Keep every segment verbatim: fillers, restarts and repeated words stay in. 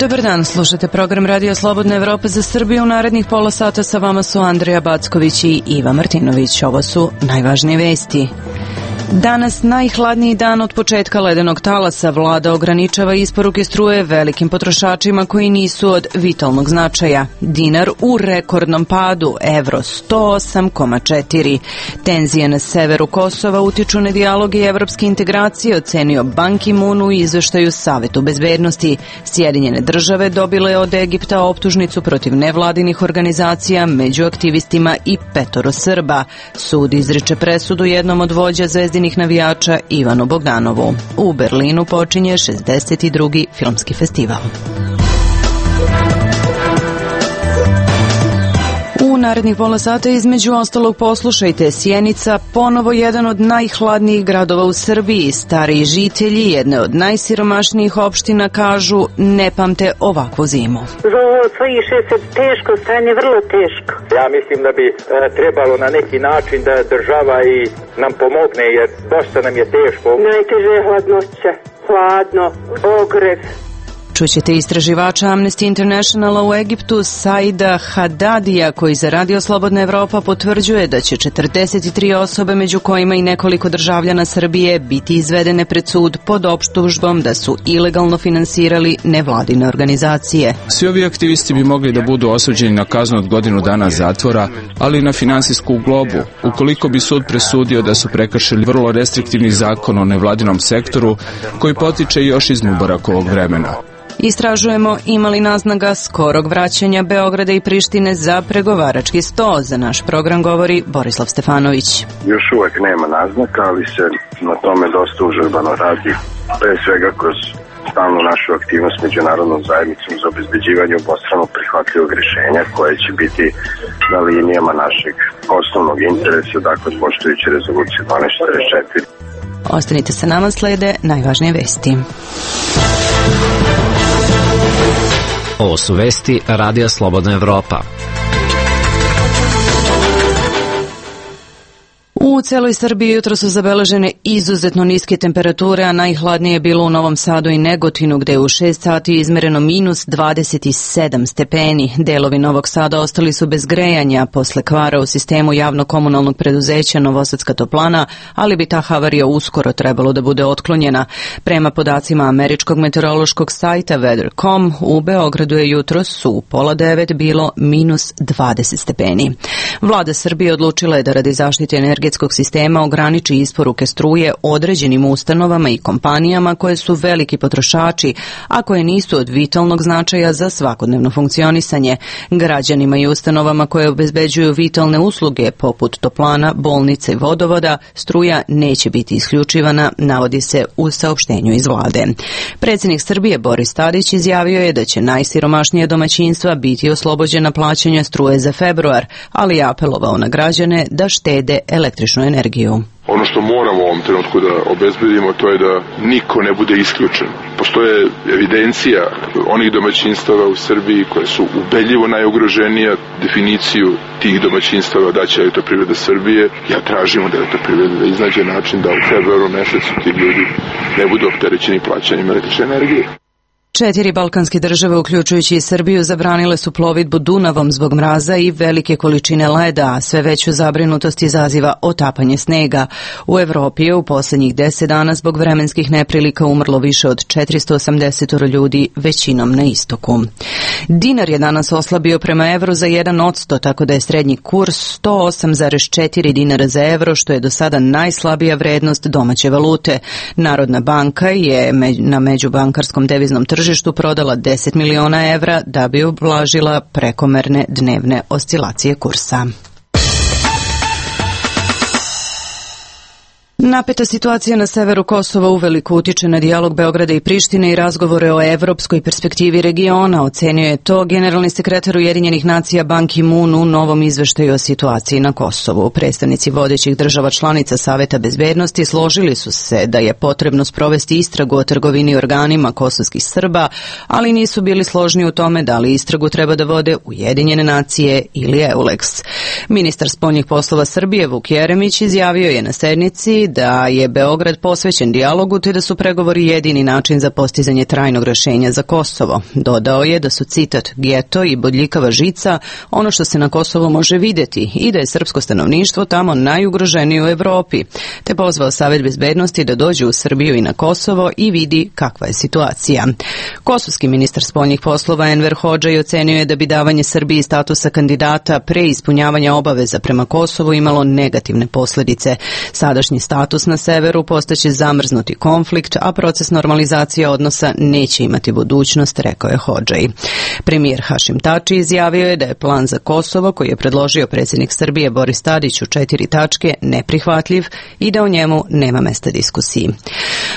Dobar dan, slušate program Radio Slobodna Evropa za Srbiju. U narednih pola sata sa vama su Andrija Backović i Iva Martinović. Ovo su najvažnije vesti. Danas najhladniji dan od početka ledenog talasa. Vlada ograničava isporuke struje velikim potrošačima koji nisu od vitalnog značaja. Dinar u rekordnom padu, evro sto osam zarez četiri. Tenzije na severu Kosova utiču na dijalog i evropske integracije, ocenio Ban Ki-moon u izveštaju Savetu bezbednosti. Sjedinjene države dobile od Egipta optužnicu protiv nevladinih organizacija među aktivistima i petoro Srba. Sud izriče presudu jednom od vođa zvezdinih navijača Ivanu Bogdanovu. U Berlinu počinje šezdeset drugi filmski festival. U narednih pola sata između ostalog poslušajte: Sjenica, ponovo jedan od najhladnijih gradova u Srbiji. Stariji žitelji jedne od najsiromašnijih opština kažu ne pamte ovakvu zimu. Za ovo sliše se teško stanje, vrlo teško. Ja mislim da bi e, trebalo na neki način da država i nam pomogne, jer dosta nam je teško. Najteže je hladnoća, hladno, ogrev. Čućete istraživača Amnesty Internationala u Egiptu Saida Hadadija, koji za Radio Slobodna Evropa potvrđuje da će četrdeset tri osobe, među kojima i nekoliko državljana Srbije, biti izvedene pred sud pod optužbom da su ilegalno finansirali nevladine organizacije. Svi ovi aktivisti bi mogli da budu osuđeni na kaznu od godinu dana zatvora, ali i na finansijsku globu, ukoliko bi sud presudio da su prekršili vrlo restriktivni zakon o nevladinom sektoru, koji potiče još iz Mubarakovog vremena. Istražujemo ima li naznaka skorog vraćanja Beograda i Prištine za pregovarački sto. Za naš program govori Borislav Stefanović. Još uvek nema naznaka, ali se na tome dosta užurbano radi. Pre svega kroz stalnu našu aktivnost međunarodnom zajednicom za obezbeđivanje obostrano prihvatljivog rješenja koje će biti na linijama našeg osnovnog interesa, dakle poštujući rezoluciju dvanaest četrdeset četiri. Ostanite sa nama, slede najvažnije vesti. Ovo su vesti Radija Slobodna Evropa. U celoj Srbiji jutro su zabeležene izuzetno niske temperature, a najhladnije je bilo u Novom Sadu i Negotinu, gde je u šest sati izmereno minus dvadeset sedam stepeni. Delovi Novog Sada ostali su bez grejanja posle kvara u sistemu javno-komunalnog preduzeća Novosadska toplana, ali bi ta havarija uskoro trebalo da bude otklonjena. Prema podacima američkog meteorološkog sajta weather dot com, u Beogradu je jutros u pola devet bilo minus dvadeset stepeni. Vlada Srbije odlučila je da radi zaštite energetskog sistema ograniči isporuke struje određenim ustanovama i kompanijama koje su veliki potrošači, a koje nisu od vitalnog značaja za svakodnevno funkcionisanje. Građanima i ustanovama koje obezbeđuju vitalne usluge poput toplana, bolnice i vodovoda struja neće biti isključivana, navodi se u saopštenju iz vlade. Predsjednik Srbije Boris Tadić izjavio je da će najsiromašnija domaćinstva biti oslobođena plaćanja struje za februar, ali je apelovao na građane da štede električnu energiju. Ono što moramo u ovom trenutku da obezbedimo, to je da niko ne bude isključen. Postoje evidencija onih domaćinstava u Srbiji koje su ubedljivo najugroženija. Definiciju tih domaćinstava daće Elektroprivreda Srbije. Ja tražim od Elektroprivrede da iznađe način da u februaru mesecu ti ljudi ne budu opterećeni plaćanjem električne energije. Četiri balkanske države, uključujući i Srbiju, zabranile su plovidbu Dunavom zbog mraza i velike količine leda, a sve veću zabrinutost izaziva otapanje snega. U Evropi je u posljednjih deset dana zbog vremenskih neprilika umrlo više od četiristo osamdeset ljudi, većinom na istoku. Dinar je danas oslabio prema evru za jedan odsto, tako da je srednji kurs sto osam zarez četiri dinara za evro, što je do sada najslabija vrednost domaće valute. Narodna banka je na međubankarskom deviznom tržištu prodala deset miliona evra da bi ublažila prekomerne dnevne oscilacije kursa. Napeta situacija na severu Kosova uveliko utiče na dijalog Beograda i Prištine i razgovore o evropskoj perspektivi regiona, ocenio je to generalni sekretar Ujedinjenih nacija Ban Ki-moon u novom izveštaju o situaciji na Kosovu. Predstavnici vodećih država članica Saveta bezbednosti složili su se da je potrebno sprovesti istragu o trgovini organima kosovskih Srba, ali nisu bili složni u tome da li istragu treba da vode Ujedinjene nacije ili EULEX. Ministar spoljnih poslova Srbije Vuk Jeremić izjavio je na sednici da je Beograd posvećen dijalogu te da su pregovori jedini način za postizanje trajnog rješenja za Kosovo. Dodao je da su, citat, geto i bodljikava žica ono što se na Kosovu može vidjeti i da je srpsko stanovništvo tamo najugroženije u Evropi, te pozvao Savet bezbednosti da dođe u Srbiju i na Kosovo i vidi kakva je situacija. Kosovski ministar spoljnih poslova Enver Hodžaj ocenio je da bi davanje Srbiji statusa kandidata pre ispunjavanja obaveza prema Kosovu imalo negativne posljedice. Sadašnji status na severu postaće zamrznuti konflikt, a proces normalizacije odnosa neće imati budućnost, rekao je Hodžaj. Premijer Hašim Tači izjavio je da je plan za Kosovo koji je predložio predsjednik Srbije Boris Tadić u četiri tačke neprihvatljiv i da o njemu nema mesta diskusiji.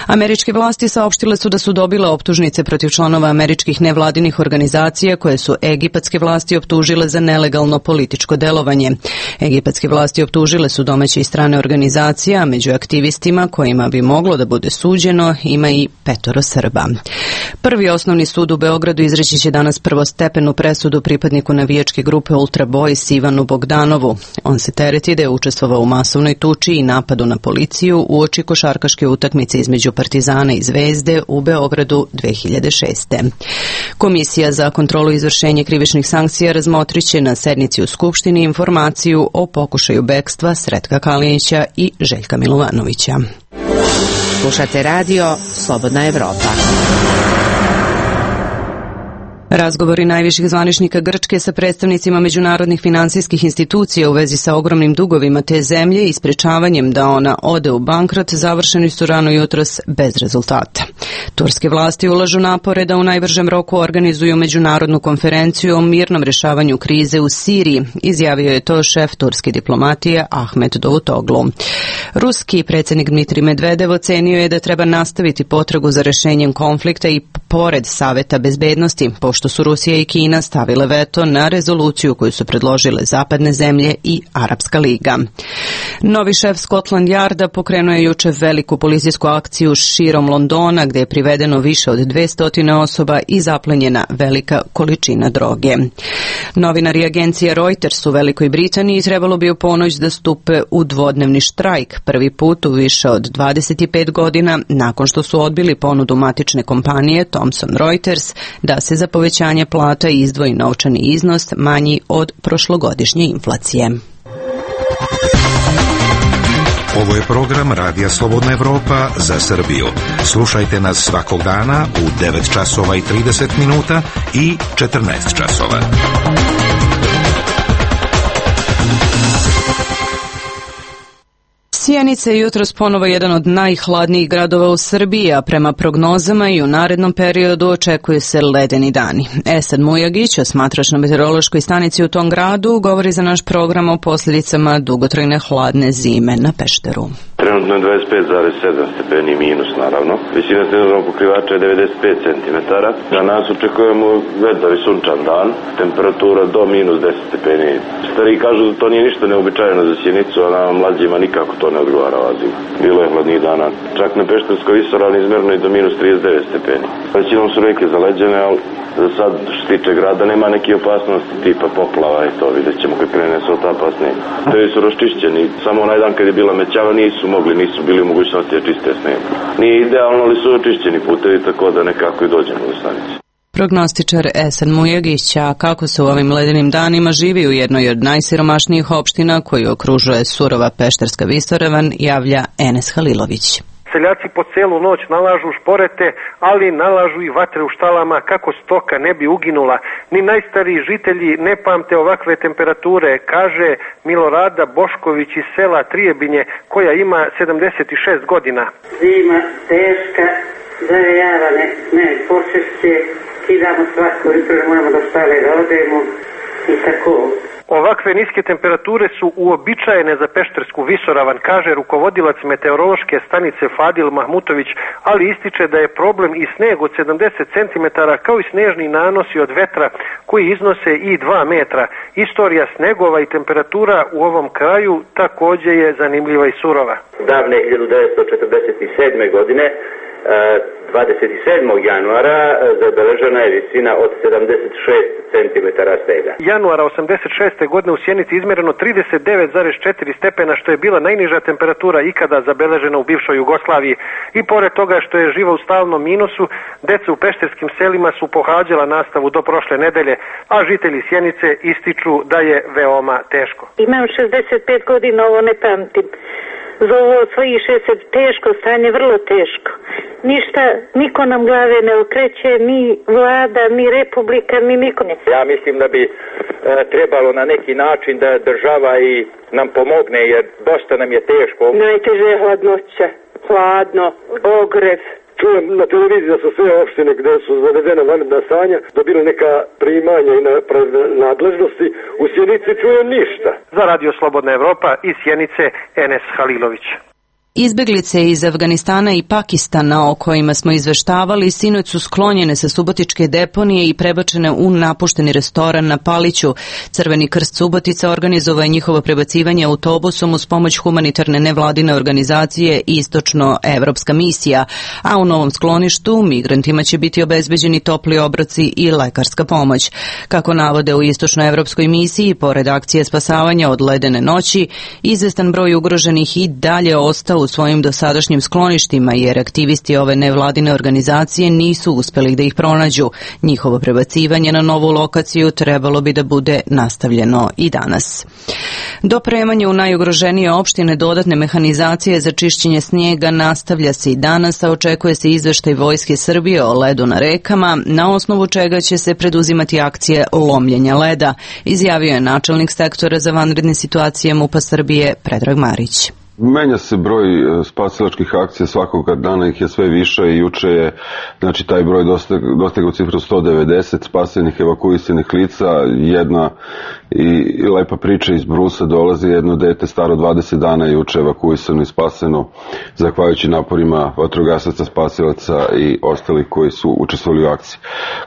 Američke vlasti saopštile su da su dobile optužnice protiv članova američkih nevladinih organizacija koje su egipatske vlasti optužile za nelegalno političko delovanje. Egipatske vlasti optužile su domaće i strane organizacije, a među aktivistima kojima bi moglo da bude suđeno ima i petoro Srba. Prvi osnovni sud u Beogradu izreći će danas prvostepenu presudu pripadniku navijačke grupe Ultra Boys Ivanu Bogdanovu. On se tereti da je učestvovao u masovnoj tuči i napadu na policiju uoči košarkaške utakmice između Partizana i Zvezde u Beogradu dve hiljade šeste. Komisija za kontrolu izvršenja krivičnih sankcija razmotriće na sednici u Skupštini informaciju o pokušaju bekstva Sretka Kalinića i Željka Milovanovića. Slušate radio Slobodna Evropa. Razgovori najviših zvaničnika Grčke sa predstavnicima međunarodnih finansijskih institucija u vezi sa ogromnim dugovima te zemlje i sprečavanjem da ona ode u bankrot završeni su rano jutros bez rezultata. Turske vlasti ulažu napore da u najbržem roku organizuju međunarodnu konferenciju o mirnom rješavanju krize u Siriji, izjavio je to šef turske diplomatije Ahmet Davutoglu. Ruski predsjednik Dmitrij Medvedev ocenio je da treba nastaviti potragu za rješenjem konflikta i pored Saveta bezbednosti, pošto su Rusija i Kina stavile veto na rezoluciju koju su predložile zapadne zemlje i Arapska liga. Novi šef Scotland Yarda pokrenuo je juče veliku policijsku akciju širom Londona gdje je privedeno više od dvesta osoba i zaplenjena velika količina droge. Novinari agencije Reuters u Velikoj Britaniji trebalo bi u ponoć da stupe u dvodnevni štrajk, prvi put u više od dvadeset pet godina nakon što su odbili ponudu matične kompanije Thomson Reuters da se za povećanje plata izdvoji novčani iznos manji od prošlogodišnje inflacije. Ovo je program Radija Slobodna Evropa za Srbiju. Slušajte nas svakog dana u devet časova i trideset minuta i četrnaest časova. Sjenica je jutros ponovo jedan od najhladnijih gradova u Srbiji, a prema prognozama i u narednom periodu očekuju se ledeni dani. Esad Mujagić, osmatrač na meteorološkoj stanici u tom gradu, govori za naš program o posljedicama dugotrajne hladne zime na Pešteru. Trenutno je dvadeset pet zarez sedam stepeni minus, naravno. Visina snežnog pokrivača je devedeset pet centimetara. Na nas očekujemo vedar i sunčan dan. Temperatura do minus deset stepeni. Stari kažu da to nije ništa neobičajeno za Sjenicu, a nama mlađima nikako to ne odgovara ova zima. Bilo je hladnijih dana. Čak na Pešterskoj visoravni izmjerno i do minus trideset devet stepeni. Većinom su reke zaleđene, ali za sad što se tiče grada nema neke opasnosti tipa poplava i to. Vidjet ćemo kad krene se ta pasnije. Tevi su raščišćeni. Samo onaj dan kad je bila mećava nisu mogli, nisu bili u mogućnosti da čiste sneg. Nije idealno, ali su očišćeni putevi, tako da nekako i dođemo do stanice. Prognostičar Esad Mujagić, a kako se u ovim ledenim danima živi u jednoj od najsiromašnijih opština koju okružuje surova Pešterska visoravan, javlja Enes Halilović. Seljaci po celu noć nalažu šporete, ali nalažu i vatre u štalama kako stoka ne bi uginula. Ni najstariji žitelji ne pamte ovakve temperature, kaže Milorada Bošković iz sela Trijebinje, koja ima sedamdeset šest godina. Zima teška, zavejava ne, ne počešće, kidamo svatko jutro, moramo do štale da odemo i tako. Ovakve niske temperature su uobičajene za Peštersku visoravan, kaže rukovodilac meteorološke stanice Fadil Mahmutović, ali ističe da je problem i sneg od sedamdeset centimetara kao i snežni nanosi od vetra koji iznose i dva metra. Istorija snegova i temperatura u ovom kraju takođe je zanimljiva i surova. Davne hiljadu devetsto četrdeset sedme. godine dvadeset sedmog januara zabeležena je visina od sedamdeset šest centimetara snega. Januara osamdeset šeste. godine u Sjenici izmereno trideset devet zarez četiri stepena, što je bila najniža temperatura ikada zabeležena u bivšoj Jugoslaviji. I pored toga što je živa u stalnom minusu, deca u pešterskim selima su pohađala nastavu do prošle nedelje, a žitelji Sjenice ističu da je veoma teško. Imam šezdeset pet godina, ovo ne pamtim. Za ovo svojih šezdeset teško stanje, vrlo teško. Ništa, niko nam glave ne okreće, ni vlada, ni republika, ni niko ne. Ja mislim da bi e, trebalo na neki način da država i nam pomogne, jer dosta nam je teško. Najteže je hladnoća, hladno, ogrev. Čujem na televiziji da su sve opštine gde su zavedena vanredna stanja dobili neka primanja i nadležnosti. U Sjenici čujem ništa. Za Radio Slobodna Evropa iz Sjenice, Enes Halilović. Izbeglice iz Afganistana i Pakistana o kojima smo izveštavali sinoć su sklonjene sa subotičke deponije i prebačene u napušteni restoran na Paliću. Crveni krst Subotica organizovao je njihovo prebacivanje autobusom uz pomoć humanitarne nevladine organizacije Istočno-evropska misija, a u novom skloništu migrantima će biti obezbeđeni topli obroci i lekarska pomoć. Kako navode u Istočno-evropskoj misiji, pored akcije spasavanja od ledene noći, izvestan broj ugroženih i dalje ostao u svojim dosadašnjim skloništima, jer aktivisti ove nevladine organizacije nisu uspeli da ih pronađu. Njihovo prebacivanje na novu lokaciju trebalo bi da bude nastavljeno i danas. Dopremanje u najugroženije opštine dodatne mehanizacije za čišćenje snijega nastavlja se i danas, a očekuje se izveštaj Vojske Srbije o ledu na rekama, na osnovu čega će se preduzimati akcije lomljenja leda, izjavio je načelnik sektora za vanredne situacije MUP-a Srbije Predrag Marić. Menja se broj spasilačkih akcija, svakog dana ih je sve više i juče je, znači, taj broj dostigao cifru sto devedeset spasenih, evakuisanih lica. Jedna i, i lepa priča iz Brusa, dolazi jedno dete staro dvadeset dana juče evakuisano i spaseno zahvaljujući naporima vatrogasaca, spasilaca i ostalih koji su učestvovali u akciji.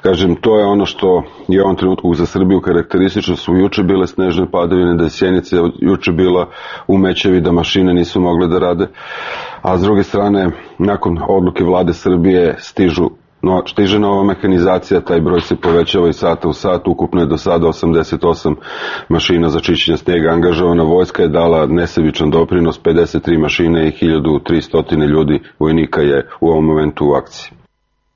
Kažem, to je ono što je u ovom trenutku za Srbiju karakteristično. Su juče bile snežne padavine, da je Sjenica juče bila u Mećevi, da mašine nisu mogle da rade, a s druge strane, nakon odluke vlade Srbije stižu No, stiže nova mehanizacija, taj broj se povećava i sata u sat, ukupno je do sada osamdeset osam mašina za čišćenje snijega angažovana, vojska je dala nesebičan doprinos, pedeset tri mašine i hiljadu tristo ljudi vojnika je u ovom momentu u akciji.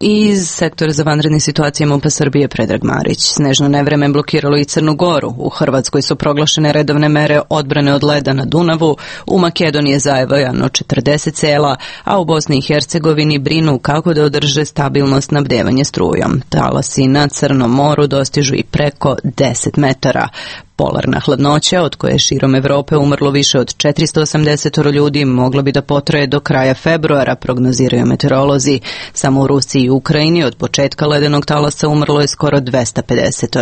Iz sektora za vanredne situacije MUP-a Srbije Predrag Marić. Snežno nevreme blokiralo i Crnu Goru. U Hrvatskoj su proglašene redovne mere odbrane od leda na Dunavu, u Makedoniji je zavojano četrdeset sela, a u Bosni i Hercegovini brinu kako da održe stabilno snabdevanje strujom. Talasi na Crnom moru dostižu i preko deset metara. Polarna hladnoća, od koje je širom Evrope umrlo više od četiristo osamdeset ljudi, mogla bi da potraje do kraja februara, prognoziraju meteorolozi. Samo u Rusiji i Ukrajini od početka ledenog talasa umrlo je skoro dvesta pedeset.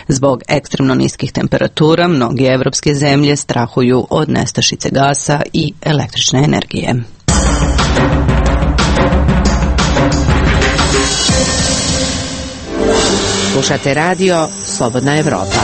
Zbog ekstremno niskih temperatura, mnoge evropske zemlje strahuju od nestašice gasa i električne energije. Slušate radio Slobodna Evropa.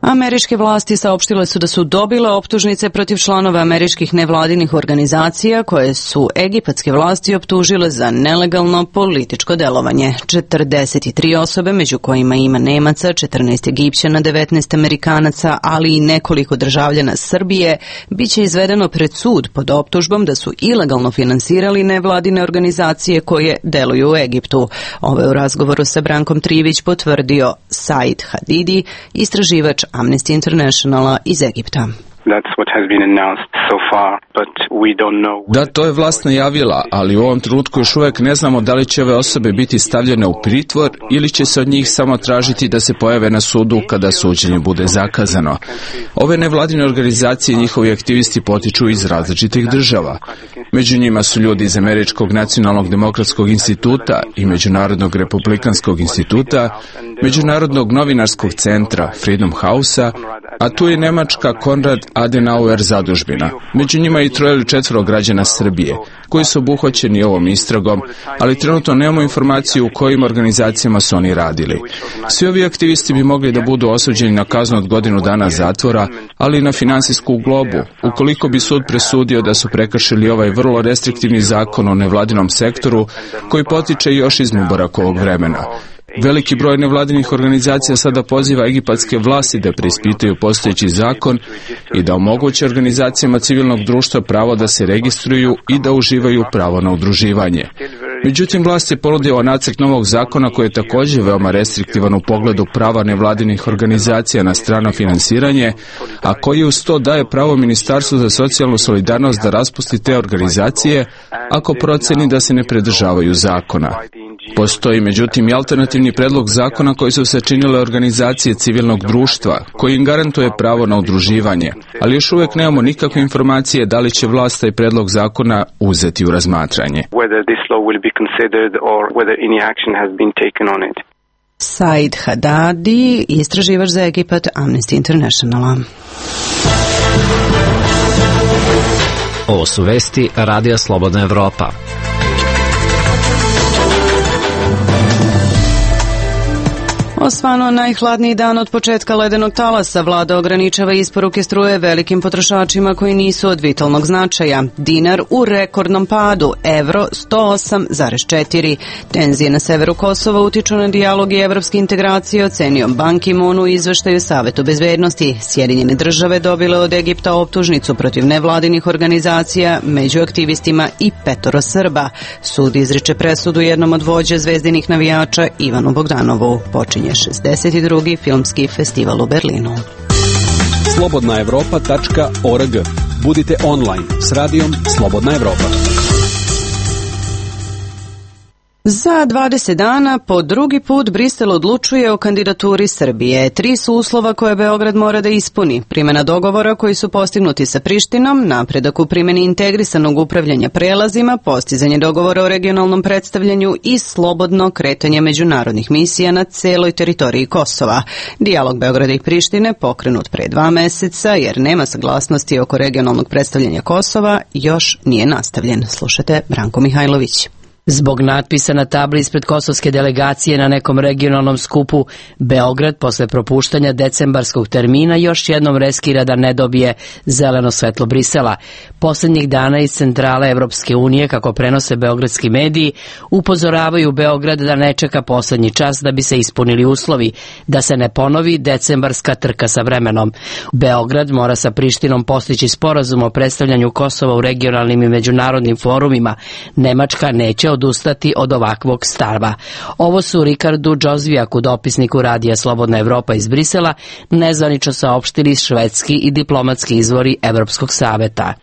Američke vlasti saopštile su da su dobile optužnice protiv članova američkih nevladinih organizacija koje su egipatske vlasti optužile za nelegalno političko delovanje. četrdeset tri osobe, među kojima ima Nemaca, četrnaest Egipćana, devetnaest Amerikanaca, ali i nekoliko državljana Srbije, bit će izvedeno pred sud pod optužbom da su ilegalno finansirali nevladine organizacije koje deluju u Egiptu. Ovo je u razgovoru sa Brankom Trivić potvrdio Said Hadidi, istraživač Amnesty Internationala iz Egipta. Da, to je vlast najavila, ali u ovom trenutku još uvijek ne znamo da li će ove osobe biti stavljene u pritvor ili će se od njih samo tražiti da se pojave na sudu kada suđenje bude zakazano. Ove nevladine organizacije i njihovi aktivisti potiču iz različitih država. Među njima su ljudi iz Američkog nacionalnog demokratskog instituta i Međunarodnog republikanskog instituta Međunarodnog novinarskog centra Freedom House-a, a tu je nemačka Konrad Adenauer zadužbina. Među njima i troje ili četvoro građana Srbije, koji su obuhvaćeni ovom istragom, ali trenutno nemamo informaciju u kojim organizacijama su oni radili. Svi ovi aktivisti bi mogli da budu osuđeni na kaznu od godinu dana zatvora, ali i na finansijsku globu, ukoliko bi sud presudio da su prekršili ovaj vrlo restriktivni zakon o nevladinom sektoru, koji potiče još iz Mubarakovog vremena. Veliki broj nevladinih organizacija sada poziva egipatske vlasti da preispitaju postojeći zakon i da omoguće organizacijama civilnog društva pravo da se registruju i da uživaju pravo na udruživanje. Međutim, vlast je ponudila nacrt novog zakona koji je također veoma restriktivan u pogledu prava nevladinih organizacija na strano finansiranje, a koji uz to daje pravo Ministarstvu za socijalnu solidarnost da raspusti te organizacije ako proceni da se ne pridržavaju zakona. Postoji međutim i alternativni predlog zakona koji su sačinile organizacije civilnog društva, koji im garantuje pravo na udruživanje, ali još uvijek nemamo nikakve informacije da li će vlast taj predlog zakona uzeti u razmatranje. Said Hadadi, istraživač za Egipat Amnesty Internationala. Ovo su vesti Radija Slobodna Evropa. Osvano najhladniji dan od početka ledenog talasa, vlada ograničava isporuke struje velikim potrošačima koji nisu od vitalnog značaja. Dinar u rekordnom padu, evro sto osam zarez četiri. Tenzije na severu Kosova utiču na dijalog i evropske integracije, ocenio Ban Ki-moon u izveštaju Savetu bezbednosti. Sjedinjene države dobile od Egipta optužnicu protiv nevladinih organizacija, među aktivistima i petoro Srba. Sud izriče presudu jednom od vođa zvezdinih navijača Ivanu Bogdanovu. Počinje šezdeset drugi filmski festival u Berlinu. slobodna evropa tačka org. Budite online s radijom Slobodna Evropa. Za dvadeset dana po drugi put Brisel odlučuje o kandidaturi Srbije. Tri su uslova koje Beograd mora da ispuni. Primjena dogovora koji su postignuti sa Prištinom, napredak u primjeni integrisanog upravljanja prelazima, postizanje dogovora o regionalnom predstavljanju i slobodno kretanje međunarodnih misija na celoj teritoriji Kosova. Dijalog Beograda i Prištine, pokrenut pre dva meseca jer nema saglasnosti oko regionalnog predstavljanja Kosova, još nije nastavljen. Slušajte Branko Mihajlović. Zbog natpisa na tabli ispred kosovske delegacije na nekom regionalnom skupu, Beograd posle propuštanja decembarskog termina još jednom riskira da ne dobije zeleno svetlo Brisela. Poslednjih dana iz centrale Evropske unije, kako prenose beogradski mediji, upozoravaju Beograd da ne čeka poslednji čas da bi se ispunili uslovi, da se ne ponovi decembarska trka sa vremenom. Beograd mora sa Prištinom postići sporazum o predstavljanju Kosova u regionalnim i međunarodnim forumima. Nemačka neće odustati od ovakvog stava. Ovo su Rikardu Džozvijaku, dopisniku Radija Slobodna Evropa iz Brisela, nezvanično saopštili švedski i diplomatski izvori Evropskog saveta.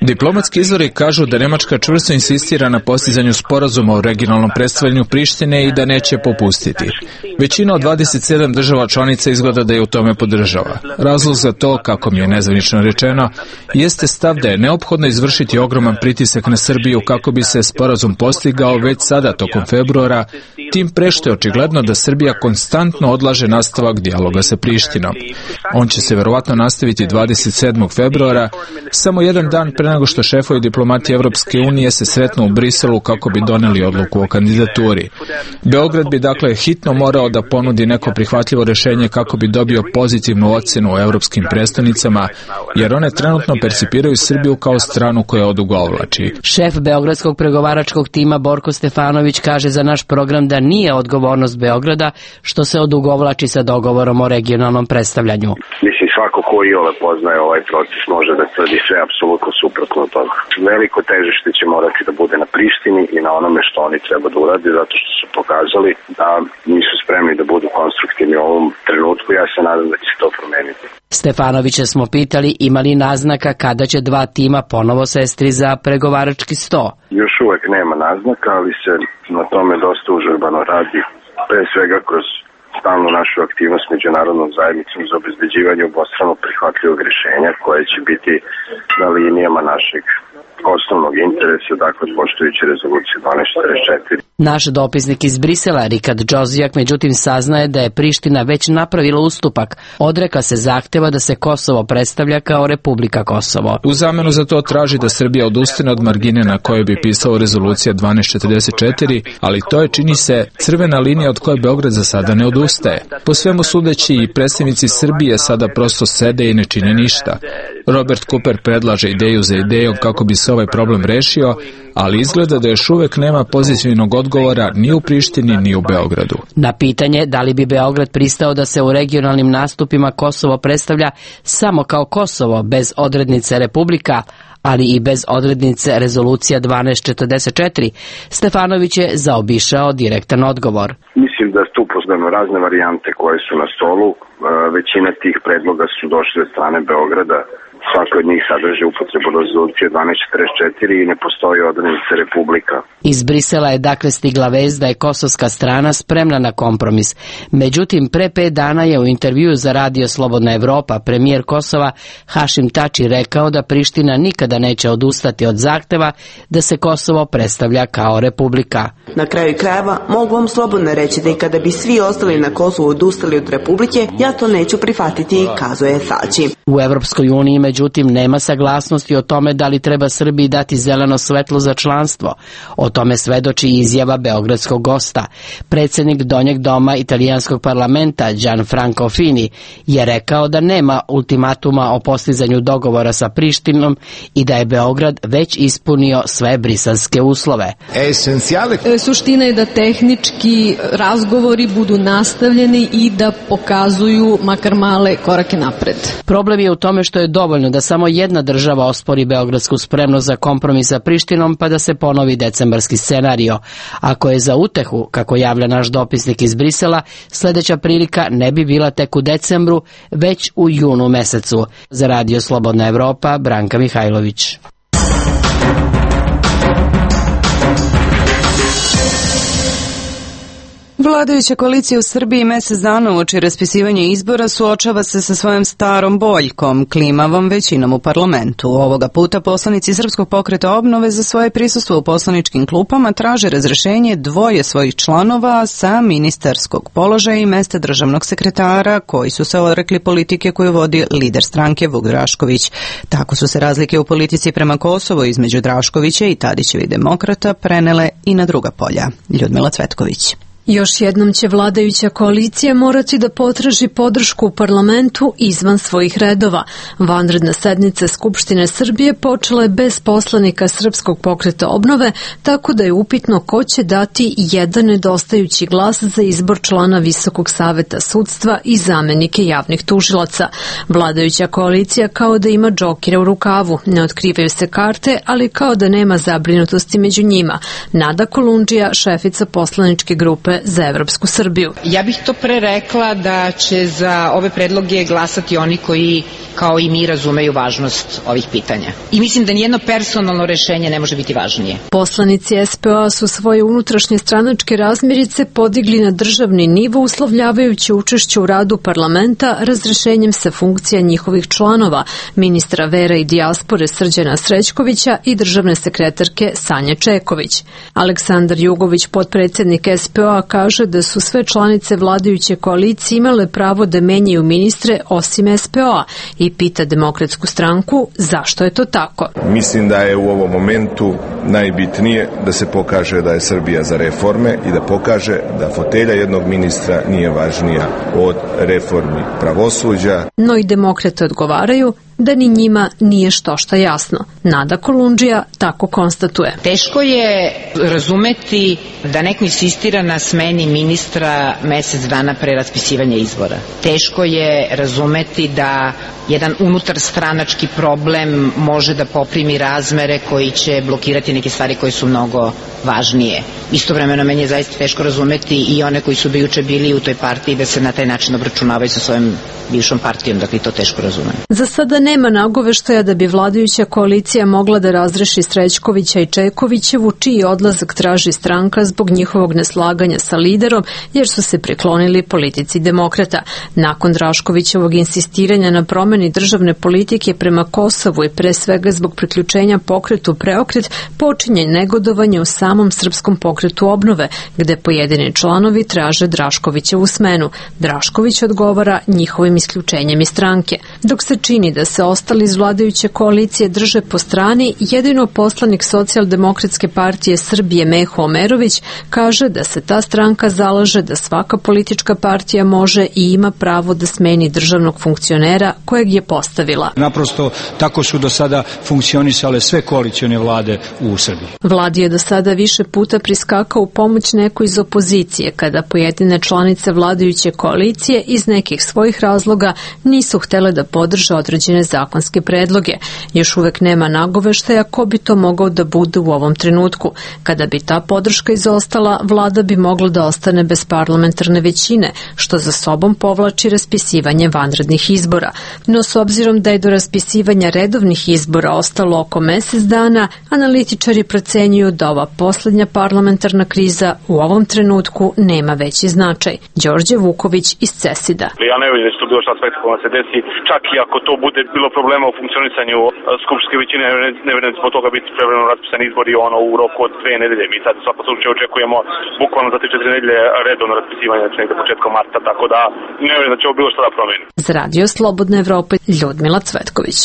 Diplomatski izvori kažu da Nemačka čvrsto insistira na postizanju sporazuma o regionalnom predstavljanju Prištine i da neće popustiti. Većina od dvadeset sedam država članica izgleda da je u tome podržava. Razlog za to, kako mi je nezvanično rečeno, jeste stav da je neophodno izvršiti ogroman pritisak na Srbiju kako bi se sporazum postigao već sada tokom februara, tim pre što je očigledno da Srbija konstantno odlaže nastavak dijaloga sa Prištinom. On će se verovatno nastaviti dvadeset sedmog februara, samo jedan dan pre nego što šefovi diplomatije Evropske unije se sretnu u Briselu kako bi doneli odluku o kandidaturi. Beograd bi dakle hitno morao da ponudi neko prihvatljivo rešenje kako bi dobio pozitivnu ocenu u evropskim prestonicama, jer one trenutno percipiraju Srbiju kao stranu koja odugovlači. Šef beogradskog pregovaračkog tima Borko Stefanović kaže za naš program da nije odgovornost Beograda što se odugovlači sa dogovorom o regionalnom predstavljanju. Mislim, svako ko iole poznaje ovaj proces može da tvrdi sve apsolutno suprotno od toga. Veliko težište će morati da bude na Prištini i na onome što oni treba da urade, zato što su pokazali da nisu spremni da budu konstruktivni u ovom trenutku. Ja se nadam da će se to promeniti. Stefanovića smo pitali imali naznaka kada će dva tima ponovo sesti za pregovarački sto. Još uvek nema naznaka, ali se na tome dosta užurbano radi, pre svega kroz stalnu našu aktivnost međunarodnom zajednicom za obezbeđivanje obostrano prihvatljivog rješenja koje će biti na linijama našeg osnovnog interesa, dakle poštujući rezoluciju dvanaest četrdeset četiri. Naš dopisnik iz Brisela, Rikard Džozijak, međutim saznaje da je Priština već napravila ustupak. Odreka se zahteva da se Kosovo predstavlja kao Republika Kosovo. U zamenu za to traži da Srbija odustane od margine na kojoj bi pisala rezolucija dvanaest četrdeset četiri, ali to je, čini se, crvena linija od koje Beograd za sada ne odustaje. Po svemu sudeći i predstavnici Srbije sada prosto sede i ne čine ništa. Robert Cooper predlaže ideju za idejom kako bi se ovaj problem rešio, ali izgleda da još uvek nema pozitivnog odgovora ni u Prištini ni u Beogradu. Na pitanje da li bi Beograd pristao da se u regionalnim nastupima Kosovo predstavlja samo kao Kosovo bez odrednice Republika, ali i bez odrednice rezolucija dvanaest četrdeset četiri, Stefanović je zaobišao direktan odgovor. Mislim da tu poznamo razne varijante koje su na stolu. Većina tih predloga su došle od strane Beograda. Svako od njih sadrži upotrebu rezolucije dvanaest četrdeset četiri i ne postoji odrednica Republika. Iz Brisela je dakle stigla vest da je kosovska strana spremna na kompromis. Međutim, pre pet dana je u intervjuu za Radio Slobodna Evropa premijer Kosova Hašim Tači rekao da Priština nikada neće odustati od zahteva da se Kosovo predstavlja kao Republika. Na kraju krajeva mogu vam slobodno reći da i kada bi svi ostali na Kosovu odustali od Republike, ja to neću prihvatiti, kazuje Tači. U Evropskoj uniji međutim nema saglasnosti o tome da li treba Srbiji dati zeleno svetlo za članstvo. O tome svedoči izjava beogradskog gosta. Predsjednik Donjeg doma italijanskog parlamenta Gianfranco Fini je rekao da nema ultimatuma o postizanju dogovora sa Prištinom i da je Beograd već ispunio sve briselske uslove. Suština je da tehnički razgovori budu nastavljeni i da pokazuju makar male korake napred. Problem je u tome što je dovoljno da samo jedna država ospori beogradsku spremnost za kompromis sa Prištinom pa da se ponovi decembarski scenario. Ako je za utehu, kako javlja naš dopisnik iz Brisela, sljedeća prilika ne bi bila tek u decembru, već u junu mesecu. Za Radio Slobodna Evropa, Branka Mihajlović. Vladajuća koalicija u Srbiji mesec dana uoči raspisivanja izbora suočava se sa svojom starom boljkom, klimavom većinom u parlamentu. Ovoga puta poslanici Srpskog pokreta obnove za svoje prisustvo u poslaničkim klupama traže razrešenje dvoje svojih članova sa ministarskog položaja i mesta državnog sekretara koji su se odrekli politike koju vodi lider stranke Vuk Drašković. Tako su se razlike u politici prema Kosovu između Draškovića i Tadićevih demokrata prenele i na druga polja. Ljudmila Cvetković. Još jednom će vladajuća koalicija morati da potraži podršku u parlamentu izvan svojih redova. Vanredna sednica Skupštine Srbije počela je bez poslanika Srpskog pokreta obnove, tako da je upitno ko će dati jedan nedostajući glas za izbor člana Visokog saveta sudstva i zamenike javnih tužilaca. Vladajuća koalicija kao da ima džokira u rukavu. Ne otkrivaju se karte, ali kao da nema zabrinutosti među njima. Nada Kolundžija, šefica poslaničke grupe za Evropsku Srbiju. Ja bih to pre rekla da će za ove predloge glasati oni koji kao i mi razumeju važnost ovih pitanja. I mislim da nijedno personalno rešenje ne može biti važnije. Poslanici S P O A su svoje unutrašnje stranačke razmirice podigli na državni nivo uslovljavajući učešće u radu parlamenta razrešenjem sa funkcija njihovih članova, ministra vera i dijaspore Srđana Srećkovića i državne sekretarke Sanje Čeković. Aleksandar Jugović, potpredsjednik S P O A, kaže da su sve članice vladajuće koalicije imale pravo da menjaju ministre osim S P O A i pita Demokratsku stranku zašto je to tako. Mislim da je u ovom momentu najbitnije da se pokaže da je Srbija za reforme i da pokaže da fotelja jednog ministra nije važnija od reformi pravosuđa. No i demokrate odgovaraju da ni njima nije što šta jasno. Nada Kolundžija tako konstatuje. Teško je razumeti da neko insistira na smeni ministra mesec dana pre raspisivanja izbora. Teško je razumeti da jedan unutar stranački problem može da poprimi razmere koji će blokirati neke stvari koje su mnogo važnije. Istovremeno meni je zaista teško razumeti i one koji su do juče bili u toj partiji da se na taj način obračunavaju sa svojom bivšom partijom, dakle to teško razumem. Za sada ne Nema nagoveštaja da bi vladajuća koalicija mogla da razreši Srećkovića i Čekovićevu, čiji odlazak traži stranka zbog njihovog neslaganja sa liderom, jer su se priklonili politici demokrata. Nakon Draškovićevog insistiranja na promeni državne politike prema Kosovu i pre svega zbog priključenja pokretu Preokret, počinje negodovanje u samom Srpskom pokretu obnove, gde pojedini članovi traže Draškovićevu smenu. Drašković odgovara njihovim isključenjem iz stranke. Dok se čini da se ostali iz vladajuće koalicije drže po strani, jedino poslanik Socijaldemokratske partije Srbije Meho Omerović kaže da se ta stranka zalaže da svaka politička partija može i ima pravo da smeni državnog funkcionera kojeg je postavila. Naprosto tako su do sada funkcionisale sve koalicione vlade u Srbiji. Vladi je do sada više puta priskakao u pomoć neko iz opozicije, kada pojedine članice vladajuće koalicije iz nekih svojih razloga nisu htele da podrže određene zakonske predloge. Još uvek nema nagoveštaja ko bi to mogao da bude u ovom trenutku. Kada bi ta podrška izostala, vlada bi mogla da ostane bez parlamentarne većine, što za sobom povlači raspisivanje vanrednih izbora. No s obzirom da je do raspisivanja redovnih izbora ostalo oko mesec dana, analitičari procenjuju da ova poslednja parlamentarna kriza u ovom trenutku nema veći značaj. Đorđe Vuković iz Cesida. Ja ne vidim da će to bilo šta spektakularno se desi, čak i ako to bude bilo problema u funkcionisanju skupštinske većine, ne vidim da će zbog toga biti prevremeno raspisani izbori ono u roku od dve nedelje. Mi sad u svakom slučaju očekujemo bukvalno za tri četiri nedelje redovno raspisivanje, znači nekde početkom marta, tako da ne vidim da će ovo bilo šta da promeni. Za Radio Slobodne Evrope, Ljudmila Cvetković.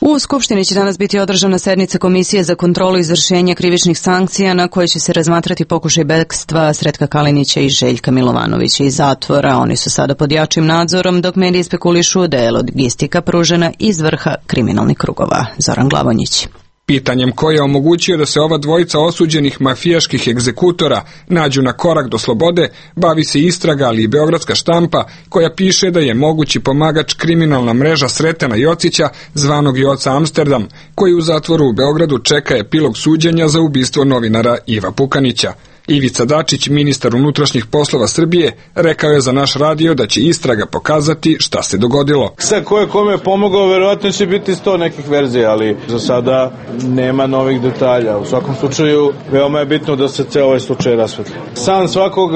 U Skupštini će danas biti održana sednica Komisije za kontrolu izvršenja krivičnih sankcija na kojoj će se razmatrati pokušaj bekstva Sretka Kalinića i Željka Milovanovića iz zatvora. Oni su sada pod jačim nadzorom, dok mediji spekulišu da je logistika pružena iz vrha kriminalnih krugova. Zoran Glavonjić. Pitanjem koje je omogućio da se ova dvojica osuđenih mafijaških egzekutora nađu na korak do slobode, bavi se istraga, ali i beogradska štampa, koja piše da je mogući pomagač kriminalna mreža Sretena Jocića, zvanog Joca Amsterdam, koji u zatvoru u Beogradu čeka epilog suđenja za ubistvo novinara Iva Pukanića. Ivica Dačić, ministar unutrašnjih poslova Srbije, rekao je za naš radio da će istraga pokazati šta se dogodilo. Sad ko je kome pomogao, verovatno će biti sto nekih verzija, ali za sada nema novih detalja. U svakom slučaju, veoma je bitno da se ceo ovaj slučaj rasvetli. San svakog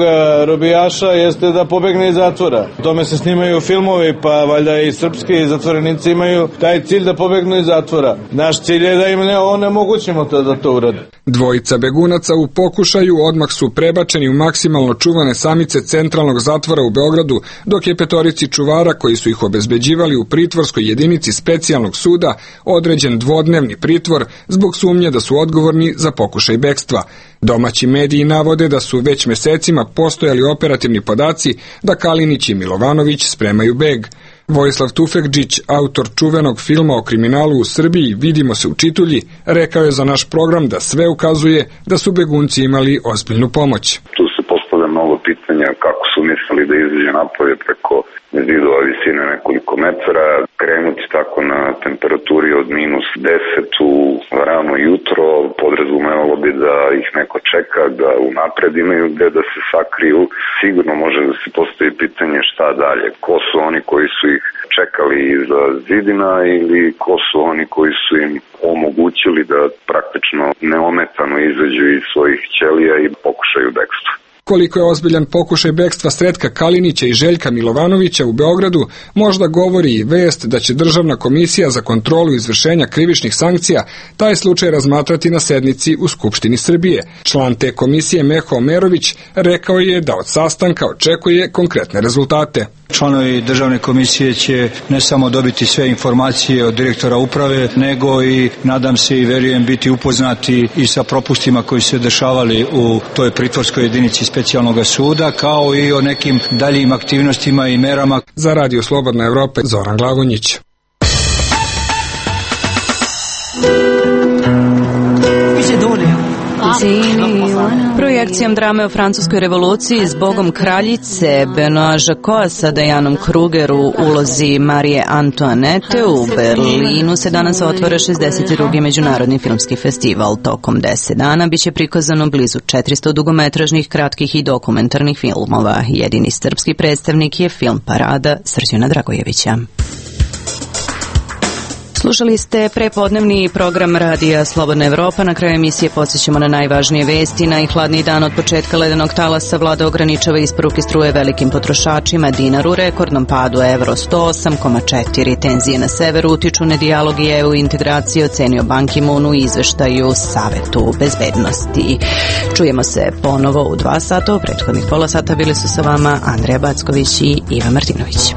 robijaša jeste da pobegne iz zatvora. O tome se snimaju filmovi, pa valjda i srpski zatvorenici imaju taj cilj da pobegnu iz zatvora. Naš cilj je da im ne onemogućimo to da to urade. Dvojica begunaca u pokušaju odmah su prebačeni u maksimalno čuvane samice centralnog zatvora u Beogradu, dok je petorici čuvara koji su ih obezbeđivali u pritvorskoj jedinici specijalnog suda određen dvodnevni pritvor zbog sumnje da su odgovorni za pokušaj bekstva. Domaći mediji navode da su već mesecima postojali operativni podaci da Kalinić i Milovanović spremaju beg. Vojislav Tufekđić, autor čuvenog filma o kriminalu u Srbiji Vidimo se u Čitulji, rekao je za naš program da sve ukazuje da su begunci imali ozbiljnu pomoć. Tu se postavlja mnogo pitanja kako su mislili da izađe napolje preko zidova visine nekoliko metara, krenuti tako na temperaturi od minus deset u rano jutro, podrazumevalo bi da ih neko čeka, da unapred imaju gde da se sakriju. Sigurno može da se postavi pitanje šta dalje, ko su oni koji su ih čekali iza zidina ili ko su oni koji su im omogućili da praktično neometano izađu iz svojih ćelija i pokušaju bekstva. Koliko je ozbiljan pokušaj bekstva Sretka Kalinića i Željka Milovanovića u Beogradu, možda govori i vest da će Državna komisija za kontrolu izvršenja krivičnih sankcija taj slučaj razmatrati na sednici u Skupštini Srbije. Član te komisije Meho Omerović rekao je da od sastanka očekuje konkretne rezultate. Članovi državne komisije će ne samo dobiti sve informacije od direktora uprave, nego i, nadam se i verujem, biti upoznati i sa propustima koji se dešavali u toj pritvorskoj jedinici specijalnog suda, kao i o nekim daljim aktivnostima i merama. Za Radio Slobodna Evropa, Zoran Glavonjić. Projekcijom drame o francuskoj revoluciji Zbogom kraljice Benoît Jacquot sa Dianom Kruger u ulozi Marije Antoinette u Berlinu se danas otvara šezdeset drugi međunarodni filmski festival. Tokom deset dana biće prikazano blizu četiristo dugometražnih, kratkih i dokumentarnih filmova. Jedini srpski predstavnik je film Parada Srđana Dragojevića. Slušali ste prepodnevni program Radija Slobodna Evropa. Na kraju emisije podsjećamo na najvažnije vesti. Najhladniji dan od početka ledenog talasa vlada ograničava isporuke struje velikim potrošačima. Dinar u rekordnom padu, evro sto osam zarez četiri. Tenzije na severu utiču na dijalog i E U integraciju, ocenio Ban Ki-moon u izveštaju Savetu bezbednosti. Čujemo se ponovo u dva sata. U prethodnih pola sata bili su sa vama Andreja Backović i Iva Martinović.